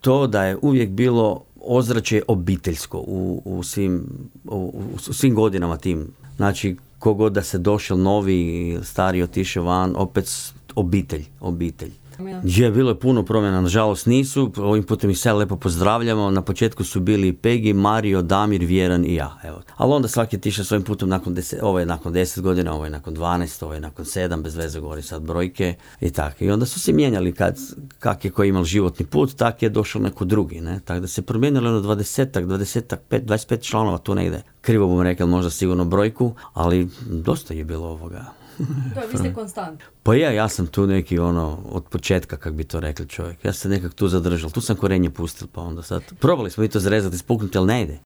to da je uvijek bilo ozračje obiteljsko u svim godinama tim. Znači, kogod da se došao novi, stari otišao van, opet obitelj. Je, bilo je puno promjena, nažalost nisu, ovim putem ih sve lepo pozdravljamo, na početku su bili Pegi, Mario, Damir, Vjeran i ja, evo. Ali onda svaki je tišao svojim putem ovo je nakon 10 godina, ovo je nakon 12, ovo je nakon 7, bez veze govori sad brojke i tako. I onda su se mijenjali kak je ko imao životni put, tak je došao neko drugi, ne, tako da se promijenilo ono 25 članova tu negdje. Krivo bom rekao možda sigurno brojku, ali dosta je bilo ovoga. To je, vi ste konstant. Pa ja sam tu neki od početka, kak bi to rekli čovjek. Ja sam se nekak tu zadržal. Tu sam korenje pustil, pa onda sad. Probali smo i to zrezati, spuknuti, ali ne ide.